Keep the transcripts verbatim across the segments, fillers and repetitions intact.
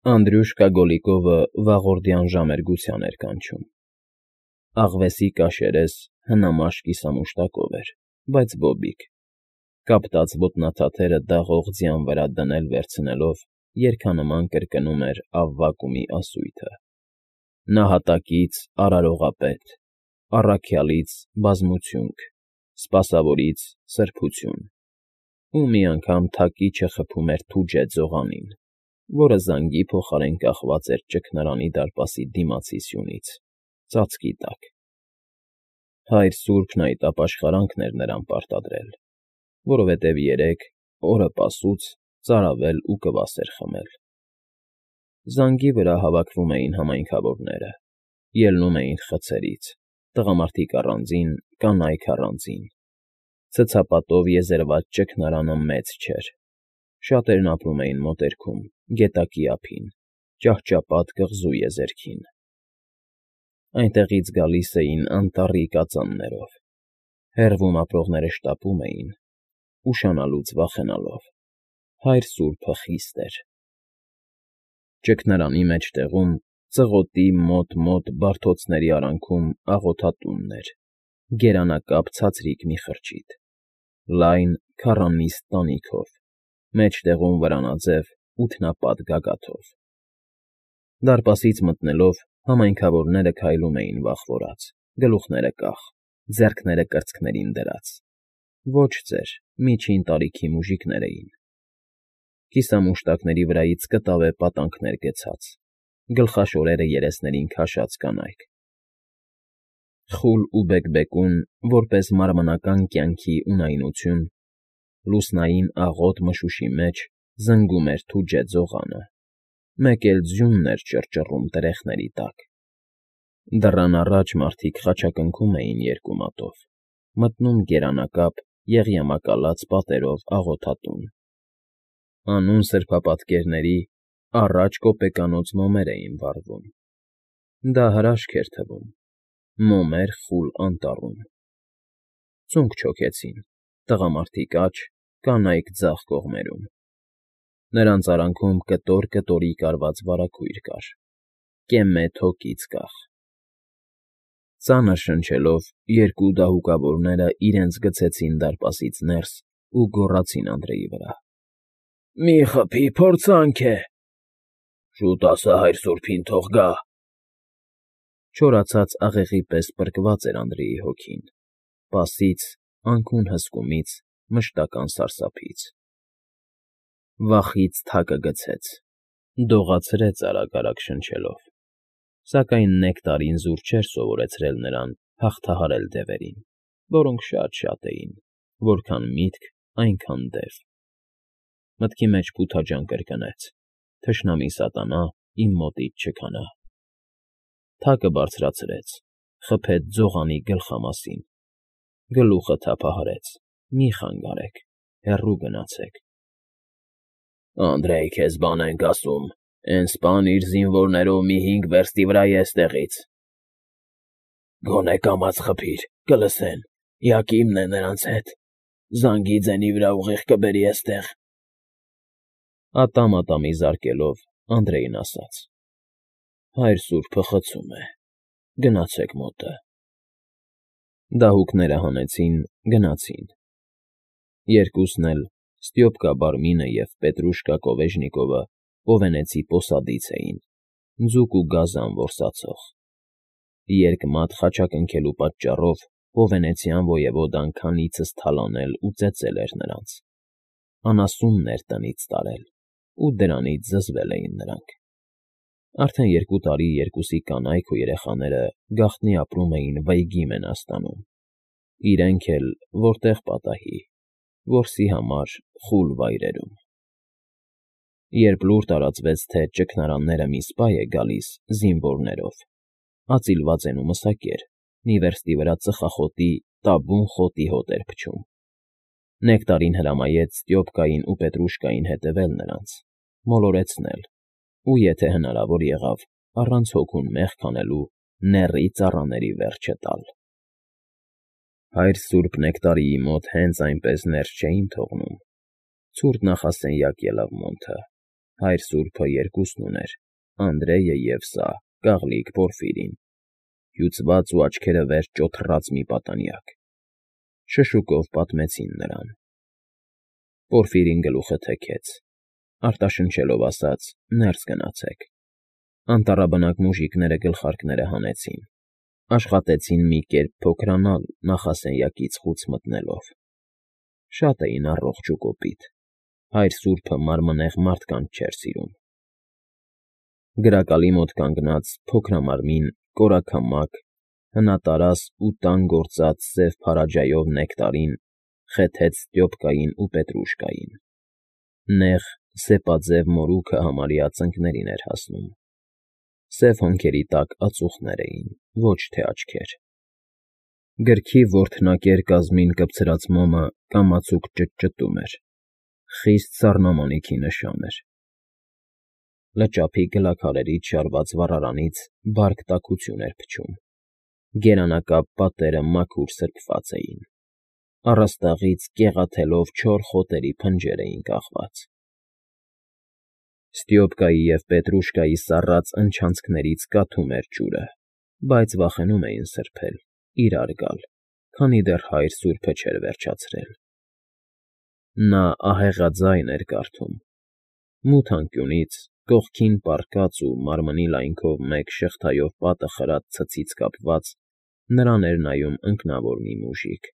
Անդրյուշկա Գոլիկովը վաղորդյան ժամերգության էր կանչում։ Աղվեսի կաշերես հնամաշ կիսամուշտակով էր, բայց բոբիկ, կապտած ոտնաթաթերը դաղող ձյան վրա դնել֊վերցնելով երգանման կրկնում էր Ավվակումի ասույթը. Նահատակից արարողապետ, առաքյալից բազմությունք, սպասավորից սրբություն, ու մի անգամ թակիչը խփում էր Թուջե ձողանին, որը զանգի փոխարեն կախված էր ճգնարանի դարպասի դիմացի սյունից, ծածկի տակ։ Հայր սուրբն այդ ապաշխարանքն էր նրան պարտադրել, որովհետև երեկ, օրը պասուց, ծարավել ու կվասեր խմել։ Զանգի վրա հավաքվում էին համայնքավորները, ելնում էին խցերից, տղամարդիկ առանձին, կանայք առանձին, ցցապատով եզերված ճգնարանը մեծ չէր, շատերն ապրում էին մոտերքում, գետակի ափին, ճահճապատ կղզու եզերքին։ Այնտեղից գալիս էին անտառի կածաններով, հեռվում ապրողները շտապում էին, ուշանալուց վախենալով, հայր սուրբը խիստ էր։ Ճգնարանի մեջտեղում, ծղոտի մոտ-մոտ բարդոցների արանքում աղոթատունն էր, գերանակապ ցածրիկ մի խրճիթ, լայն քառանիստ տանիքով, մեջտեղում վրանաձև ութնապատ գագաթով։ Դարպասից մտնելով, համայնքավորները քայլում էին վախվորած, գլուխները կախ, ձեռքները կրծքներին դրած։ Ոչ ծեր, միջին տարիքի մուժիկներ էին։ Կիսամուշտակների վրայից կտավե պատանքներ գցած, գլխաշորերը երեսներին քաշած կանայք։ Խուլ ու բեկբեկուն, որպես մարմնական կյանքի ունայնություն, լուսնային աղոտ մշուշի մեջ զնգում էր Թուջե ձողանը, մեկ էլ ձյունն էր ճռճռում տրեխների տակ։ Դռան առաջ մարդիկ խաչակնքում էին երկու մատով, մտնում գերանակապ, եղյամակալած պատերով աղոթատուն։ Անուն սրբապատկերների առաջ կոպեկանոց մոմեր էին վառվում։ Դա հրաշք էր թվում, մոմեր խուլ անտառում։ Ծունկ չոքեցին, տղամարդիկ աջ, կանայք ձախ կողմերում։ Նրանց արանքում կտոր֊կտորի կարված վարագույր կար, կեմե թոկից կախ։ Ծանր շնչելով, երկու դահուկավորները իրենց գցեցին դարպասից ներս ու գոռացին Անդրեի վրա. ֊ Մի խփի, փորձանք է։ ֊ Շուտ ասա հայր սուրբին թող գա։ Չորացած աղեղի պես պրկված էր Անդրեի հոգին, պասից, անքուն հսկումից, մշտական սարսափից։ Վախից թակը գցեց, դողացրեց արագ֊արագ շնչելով, սակայն նեկտարին զուր չէր սովորեցրել նրան հաղթահարել դևերին, որոնք շատ֊շատ էին, որքան միտք, այնքան դև։ Մտքի մեջ փութաջան կրկնեց. թշնամի սատանա իմ մոտից չքանա։ Թակը բարձրացրեց, խփեց ձողանի գլխամասին, գլուխը թափահարեց. մի խանգարեք, հեռու գնացեք։ Անդրեյ, քեզ բան ենք ասում, էն սպան իր զինվորներով մի հինգ վերստի վրա է էստեղից։ Գոնե կամաց խփիր, կլսեն, յակիմն է նրանց հետ, զանգի ձենի վրա ուղիղ կբերի էստեղ։ Ատամ-ատամի զարկելով, Անդրեյն ասաց. հայր սուրբը խցում է, գնացեք մոտը։ Դահուկները հանեցին, գնացին։ Երկուսն էլ, Ստյոպկա Բարմինը և Պետրուշկա Կովեժնիկովը Օվենեցի պոսադից էին, ձուկ ու գազան որսացող։ Երկմատ խաչակնքելու պատճառով օվենեցյան ոյևոդան քանիցս թալանել ու ծեծել էր նրանց, անասուններ տնից տարել, ու դրանից զզվել էին նրանք։ Արդեն երկու տարի երկուսի կանայք ու երեխաները գաղտնի ապրում էին Վայգի Մենաստանում, իրենք էլ որտեղ պատահի, որսի համար խուլ վայրերում։ Երբ լուր տարածվեց, թե ճգնարանները մի սպա է գալիս զինվորներով, ածիլված են ու մսակեր, մի վերստի վրա ծխախոտի տաբուն խոտի հոտ էր փչում։ Նեկտարին հրամայեց Ստյոպկային ու Պետրուշկային հետևել նրանց, մոլորեցնել, ու եթե հնարավոր եղավ, առանց հոգուն մեղք անելու նեռի ծառաների վերջը տալ։ Հայր սուրբ Նեկտարիի մոտ հենց այնպես ներս չէին թողնում, ցուրտ նախասենյակ ելավ մոնթը, հայր սուրբը երկուսն ուներ. Անդրեյը և սա, Կաղլիկ Պորֆիրին, հյուծված ու աչքերը վեր ճոթռած մի պատանյակ։ Շշուկով պատմեցին նրան։ Պորֆիրին գլուխը թեքեց, արտաշնչելով ասաց. «Ներս գնացեք»։ Անտառաբնակ մուժիկները գլխարկները հանեցին, աշխատեցին մի կերպ փոքրանալ նախասենյակից խուց մտնելով։ Շատ էին առողջ ու կոպիտ, հայր սուրբը մարմնեղ մարդկանց չէր սիրում։ Գրակալի մոտ կանգնած փոքրամարմին, կորաքամակ, հնատարած ու տան գործած սև փարաջայով նեկտարին խեթեց Ստյոպկային ու Պետրուշկային։ Նեղ, սեպաձև մորուքը համարյա ծնկներին էր հասնում։ Սև հոնքերի տակ ածուխներ էին, ոչ թե աչքեր։ Գրքի որթնակեր կազմին կպցրած մոմը կամացուկ ճտճտում էր, խիստ սառնամանիքի նշան էր։ Լճափի գլաքարերից շարված վառարանից բարդ տաքություն էր փչում, գերանակապ պատերը մաքուր սրբված էին, առաստաղից կեղաթելով չոր խոտերի փնջեր էին կախված։ Ստյոպկայի և Պետրուշկայի սառած ընչանցքներից կաթում էր ջուրը, բայց վախենում էին սրբել, իրար գալ, քանի դեռ հայր սուրբը չէր վերջացրել։ Նա ահեղաձայն էր կարդում։ Մութ անկյունից, կողքին պառկած ու մարմնի լայնքով մեկ շղթայով պատը խրած ցցից կապված, նրան էր նայում ընկնավոր մի մուժիկ։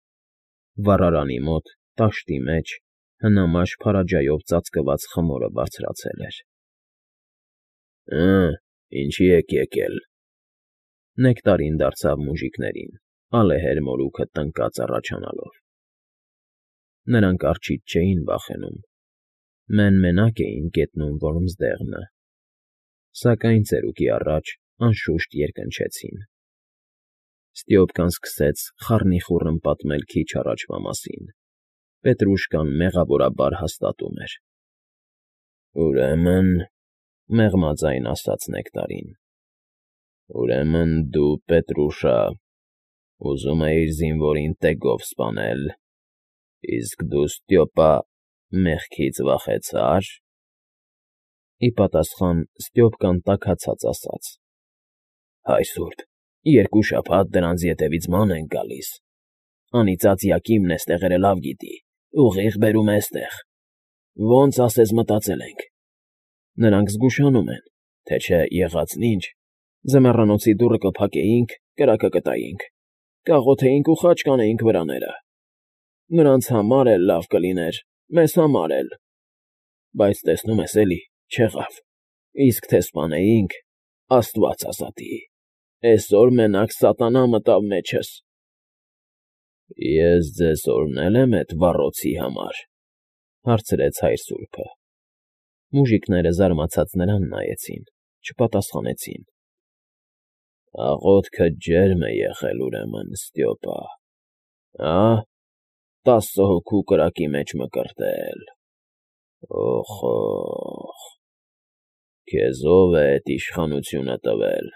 Վառարանի մոտ, տաշտի մեջ, հնամաշ փարաջայով ծածկված խմորը բարձրացել էր։ «Հը, ինչի եք եկել»։ Նեկտարին դարձավ մուժիկներին, ալեհեր մորուքը տնկած առաջանալով։ Նրանք արջից չէին վախենում, մեն֊մենակ էին գետնում Որմզդեղնը, սակայն ծերուկի առաջ անշուշտ երկնչեցին։ Ստյոպկան սկսեց խառնիխուռն պատմել քիչ առաջվա մասին։ Պետրուշկան մեղավորաբար հաստատում էր։ «Ուրեմն,֊ մեղմաձայն ասաց նեկտարին,֊ ուրեմն դու, Պետրուշա, ուզում էիր զինվորին տեգով սպանել, իսկ դու, Ստյոպա, մեղքից վախեցա՞ր»։ Ի պատասխան Ստյոպկան տաքացած ասաց. «Հայր սուրբ, երկու շաբաթ դրանց ետևից ման ենք գալիս, անիծած Յակիմն էստեղերը լավ գիտի, ուղիղ բերում է էստեղ, ոնց ասես մտածել ենք։ Նրանք զգուշանում են, թե չէ եղածն ինչ, ձմեռանոցի դուռը կփակեինք, կրակը կտայինք, կաղոթեինք ու խաչ կանեինք վրաները։ Նրանց համար էլ լավ կլիներ, մեզ համար էլ։ Բայց տեսնում ես էլի, չեղավ, իսկ թե սպանեինք, աստված ազատի, էսօր մենակ սատանա մտավ մեջս»։ «Ես ձեզ օրհնել եմ էդ վառոցի համար», հարցրեց հայր սուրբը։ Մուժիկները զարմացած նրան նայեցին, չպատասխանեցին։ «Աղոթքդ ջերմ է եղել, ուրեմն, Ստյոպա, հա՞, տասը հոգու կրակի մեջ մկրտել։ Օխ֊օխ, քեզ ո՞վ է էդ իշխանությունը տվել։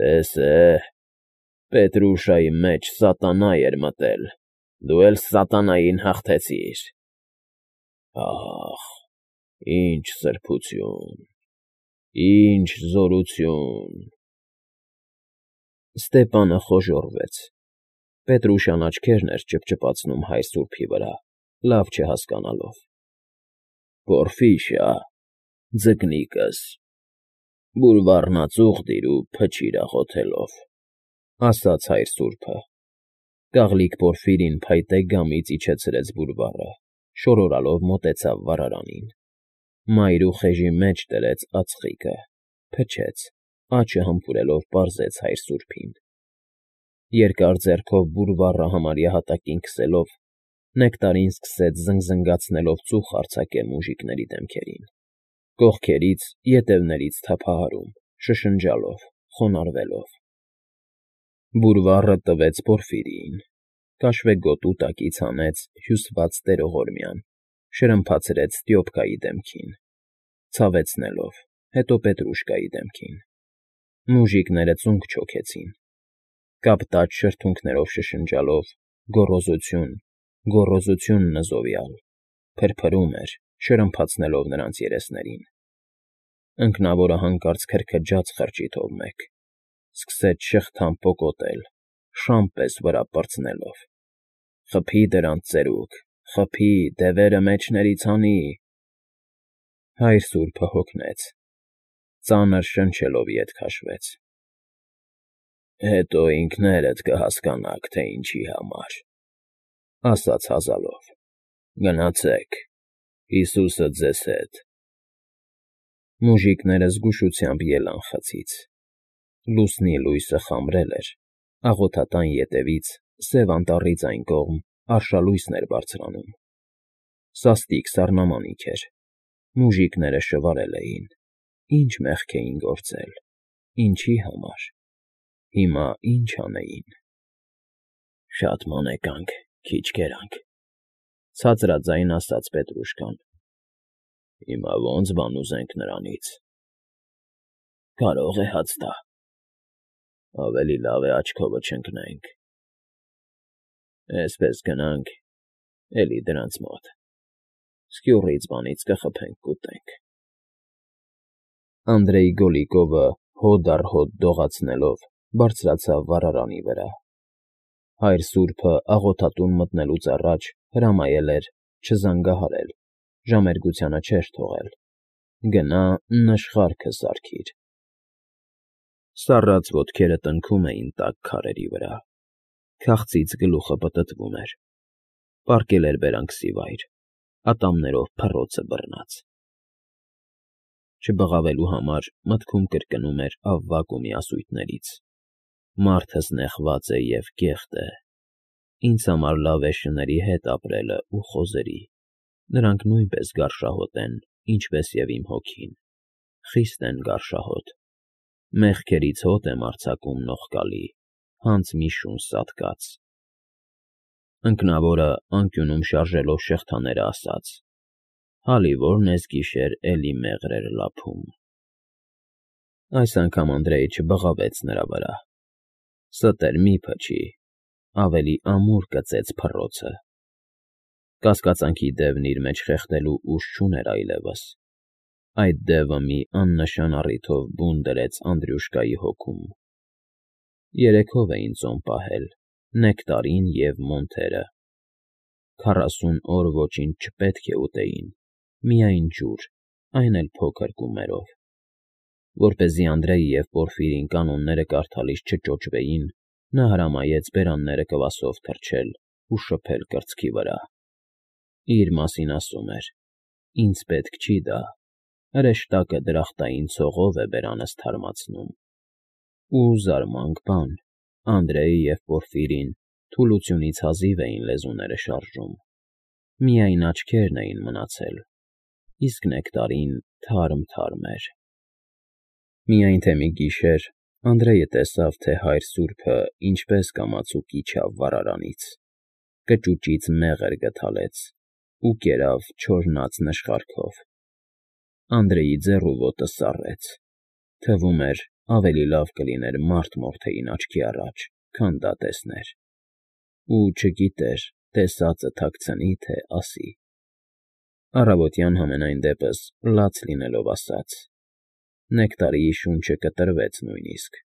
Տեսե, Պետրուշայի մեջ սատանա էր մտել, դու էլ սատանային հաղթեցիր։ Ահ, ինչ սրբություն, ինչ զորություն»։ Ստեպանը խոժոռվեց։ Պետրուշյան աչքերն էր ճփճփացնում հայր սուրբի վրա, լավ չհասկանալով։ «Պորֆիշա, ձկնիկս, բուրվառն ածուխ դիր ու փչիր աղոթելով», ասաց հայր սուրբը։ Կաղլիկ Պորֆիրին փայտե գամից իջեցրեց բուրվառը, շորորալով մոտեցավ վառարանին։ Մայր ու խեժի մեջ դրեց ածխիկը, փչեց, աչը համբուրելով պարզեց հայր սուրբին։ Երկար ձեռքով բուրվառը համարյա հատակին քսելով, նեկտարին սկսեց զնգզնգացնելով ծուխ արձակել մուժիկների դեմքերին, կողքերից, ետևներից թափահարում, շշնջալով, խոնարհվելով։ Բուրվառը տվեց Պորֆիրիին, կաշվեգոտու տակից հանեց հյուսված տերողորմյան, շրմփացրեց Ստյոպկայի դեմքին, ցավեցնելով, հետո Պետրուշկայի դեմքին։ Մուժիկները ծունկ չոքեցին, կապտաճ շրթունքներով շշնջալով, գոռոզություն, գոռոզություն նզովյալ, փրփրում էր, շրմփացնելով նրանց երեսներին։ Ընկնավորը հանկարծ քրքջաց խրճիթով մեկ, սկսեց շղթան պոկոտել, շան պես վրա պրծնելով. «Խփի դրանց ծերուկ, խփի, դևերը մեջներից հանի»։ Հայր սուրբը հոգնեց, ծանր շնչելով ետ քաշվեց։ «Հետո ինքներդ կհասկանաք, թե ինչի համար,֊ ասաց հազալով,֊ գնացեք, Հիսուսը ձեզ հետ»։ Մուժիկները զգուշությամբ ելան խցից։ Լուսնի լույսը խամրել էր, աղոթատան ետևից, Սև Անտառից այն կողմ, արշալույսն էր բարձրանում։ Սաստիկ սառնամանիք էր, մուժիկները շվարել էին, ինչ մեղք էին գործել, ինչի համար, հիմա ինչ անեին։ «Շատ մանեկանք, քիչ կերանք,֊ ցածրաձայն ասաց Պետրուշկան։ Հիմա ո՞նց բան ուզենք նրանից։ Կարող է հաց տա։ Ավելի լավ է աչքովը չընկնենք։ Էսպես գնանք, էլի դրանց մոտ, սկյուռից բանից կխփենք կուտենք։ Անդրեյ Գոլիկովը հոտ առ հոտ դողացնելով բարձրացավ վառարանի վրա։ Հայր սուրբը աղոթատուն մտնելուց առաջ հրամայել էր չզանգահարել, ժամերգությանը չէր թողել։ Գնա, նշխարքը սարքիր։ Սառած ոտքերը տնքում էին տաք քարերի վրա, քաղցից գլուխը պտտվում էր, պառկել էր բերանքսի վայր, ատամներով փռոցը բռնած։ Չբղավելու համար մտքում կրկնում էր Ավվակումի ասույթներից. «Մարդս նեղված է և կեղտ է, ինձ համար լավ է շների հետ ապրելը ու խոզերի, նրանք նույնպես գարշահոտ են, ինչպես և իմ հոգին, խիստ են գարշահոտ, մեղքերից հոտ եմ արձակում նողկալի, հանց մի շուն սատկած»։ Ընկնավորը անկյունում շարժելով շղթաները ասաց. «Հալիվորն էս գիշեր էլի մեղր էր լափում»։ Այս անգամ Անդրեյը չբղավեց նրա վրա։ Ստեր մի փչի, ավելի ամուր կծեց փռոցը։ Կասկածանքի դևն իր մեջ խեղդելու ուժ չուներ այլևս։ Այդ դևը մի աննշան առիթով բուն դրեց Անդրյուշկայի հոգում։ Երեքով էին ծոմ պահել Նեկտարին և Մոնթերը։ Քառասուն օր ոչինչ չպետք է ուտեին, միայն ջուր, այն էլ փոքր կումերով։ Որպեսզի Անդրեյը և Պորֆիրին կանոնները կարդալիս չճոճվեին, նա հրամայեց բերանները կվասով թրջել ու շփել կրծքի վրա։ Իր մասին ասում էր. «Ինձ պետք չի դա, հրեշտակը դրախտային ցողով է բերանս թարմացնում»։ Ու զարմանք բան, Անդրեյը և Պորֆիրին թուլությունից հազիվ էին լեզուները շարժում, միայն աչքերն էին մնացել, իսկ Նեկտարին թարմ֊թարմ էր։ Միայն թե մի գիշեր Անդրեյը տեսավ, թե հայր սուրբը ինչպես կամացուկ իջավ վառարանից, կճուճից մեղր գդալեց ու կերավ չորնած նշխարքով։ Անդրեյի ձեռ ու ոտը սառեց, թվում էր, ավելի լավ կլիներ մարդ մորթեին աչքի առաջ, քան դա տեսներ։ Ու չգիտեր տեսածը թաքցնի, թե ասի։ Առավոտյան համենայն դեպս լաց լինելով ասաց. Նեկտարիի շունչը կտրվեց նույնիսկ։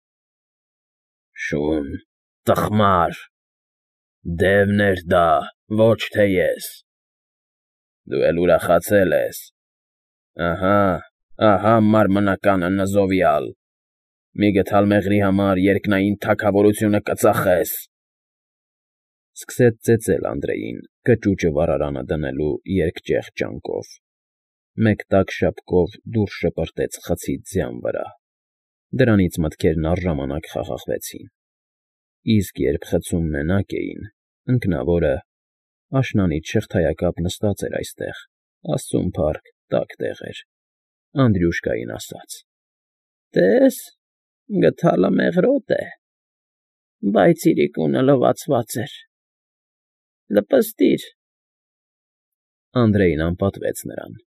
«Շուն, տխմար, դևն էր դա, ոչ թե ես։ Դու էլ ուրախացել ես։ Ահա, ահա մարմնականը նզովյալ, մի գդալ մեղրի համար երկնային թագավորությունը կծախես»։ Սկսեց ծեծել Անդրեյին կճուճը վառարանը դնելու երկճեղջ ճանկով, մեկ տաք շապկով դուրս շպրտեց խցից ձյան վրա։ Դրանից մտքերն առժամանակ խաղաղվեցին։ Իսկ երբ խցում մենակ էին, ընկնավորը, աշնանից շղթայակապ նստած էր այստեղ, աստծուն փառք, տաք տեղ էր, Անդրյուշկային ասաց. «Տես, գդալը մեղրոտ է, բայց իրիկունը լվացված էր, լպստիր»։ Անդրեյն անպատվեց նրան։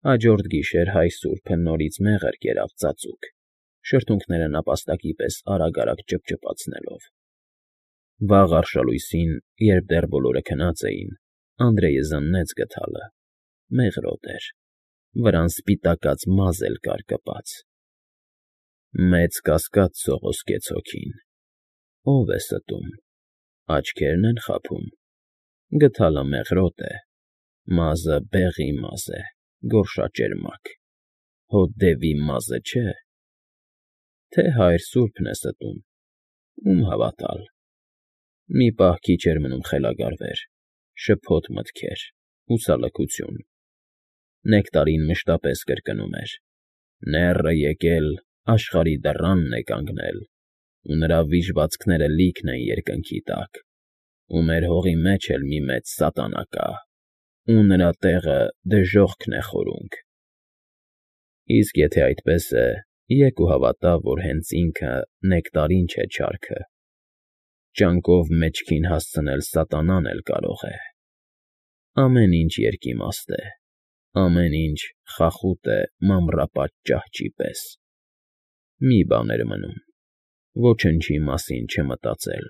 Հաջորդ գիշեր հայ սուրբը նորից մեղր կերավ ծածուկ, շրթունքները նապաստակի պես արագ֊արագ ճփճփացնելով։ Վաղ արշալույսին, երբ դեռ բոլորը քնած էին, Անդրեյը զննեց գդալը, մեղրոտ էր, վրան սպիտակած մազ էլ կար կպած։ Մեծ կասկած սողոսկեց հոգին. ո՞վ է ստում, աչքերն են խաբում, գդալը մեղրոտ է, մազը բեղի մազ է, գորշաճերմակ, հո դևի մազը չէ, թե հայր սուրբն է ստում, ում հավատալ։ Մի պահ քիչ էր մնում խելագարվեր, շփոթ մտքեր, հուսալքություն, նեկտարին մշտապես կրկնում էր. «Նեռը եկել, աշխարհի դռանն է կանգնել, ու նրա վիժվածքները լիքն են երկնքի տակ, ու մեր հողի մեջ էլ մի մեծ սատանա կա, ու նրա տեղը դժոխքն է խորունգ»։ Իսկ եթե այդպես է, եկ ու հավատա, որ հենց ինքը նեկտարին չէ չարքը, ճանկով մեջքին հասցնել սատանան էլ կարող է։ Ամեն ինչ երկիմաստ է, ամեն ինչ խախուտ է մամռապատ ճահճի պես։ Մի բան էր մնում՝ ոչնչի մասին չմտածել,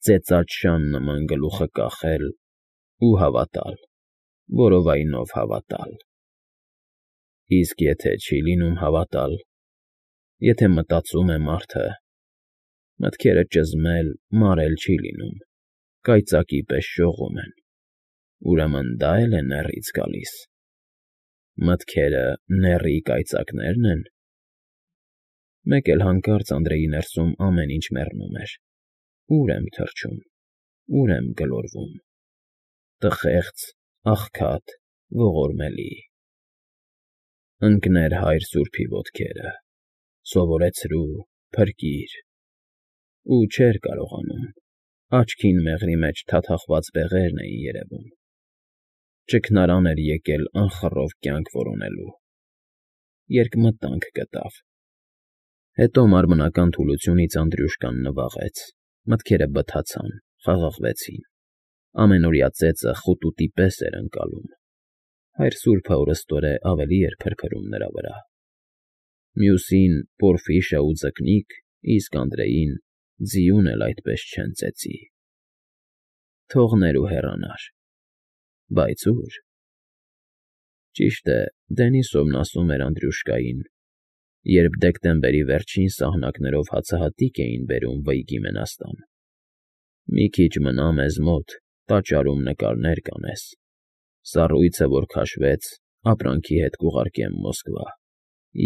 ծեծած շան նման գլուխը կախել ու հավատալ, որովայնով հավատալ։ Իսկ եթե չի լինում հավատալ, եթե մտածում է մարդը, մտքերը ճզմել, մարել չի լինում, կայծակի պես շողում են, ուրեմն դա էլ է նեռից գալիս։ Մտքերը նեռի կայծակնե՞րն են։ Մեկ էլ հանկարծ Անդրեի ներսում ամեն ինչ մեռնում էր. ուր եմ թռչում, ուր եմ գլորվում, տխեղց, աղքատ, ողորմելի։ Ընկներ հայր սուրբի ոտքերը, սովորեցրու, փրկիր… Ու չէր կարողանում, աչքին մեղրի մեջ թաթախված բեղերն էին երևում։ Ճգնարան էր եկել անխռով կյանք որոնելու։ Երկմտանք գտավ։ Հետո մարմնական թուլությունից Անդրյուշկան նվաղեց, մտքերը բթացան, խաղաղվեցին, ամենօրյա ծեծը խուտուտի պես էր ընկալում, հայր սուրբը օրըստօրե ավելի էր փրփրում նրա վրա։ Մյուսին պորֆիշը ու ձկնիկ, իսկ Անդրեին ձիուն էլ այդպես չեն ծեծի։ Թողներ ու հեռանար։ Բայց ո՞ւր։ Ճիշտ է, Դենիսովն ասում էր Անդրյուշկային, երբ դեկտեմբերի վերջին սահնակներով հացահատիկ էին բերում Վըյգի մենաստան. «Մի քիչ մնա մեզ մոտ, տաճարում նկարներ կանես, սառույցը որ քաշվեց, ապրանքի հետ կուղարկեմ Մոսկվա,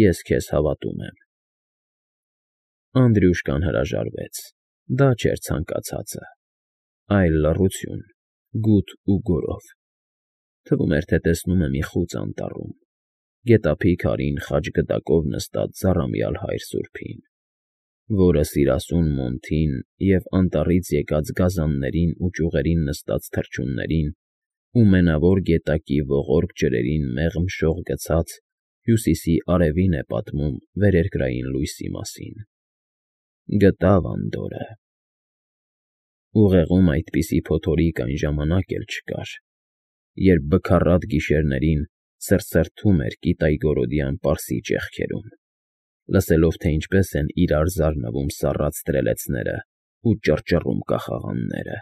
ես քեզ հավատում եմ»։ Անդրյուշկան հրաժարվեց, դա չէր ցանկացածը, այլ լռություն, գութ ու գորով։ Թվում էր, թե տեսնում է մի խուծ անտառում, գետափի քարին խաչգդակով նստած ձառամյալ հայր սուրբին, որը սիրասուն մոնթին և անտառից եկած գազաններին ու ճյուղերին նստած թռչուններին ու մենավոր գետակի ողորկ ջրերին մեղմ շող գցած հյուսիսի արևին է պատմում վերերկրային լույսի մասին։ Գտավ Անդորրը։ Ուղեղում այդպիսի փոթորիկ այն ժամանակ էլ չկար, երբ բքառատ գիշերներին սրսրթում էր կիտայգորոդյան պարսի ճեղքերում, լսելով, թե ինչպես են իրար զարնվում սառած տրելեցներն ու ճռճռում կախաղանները։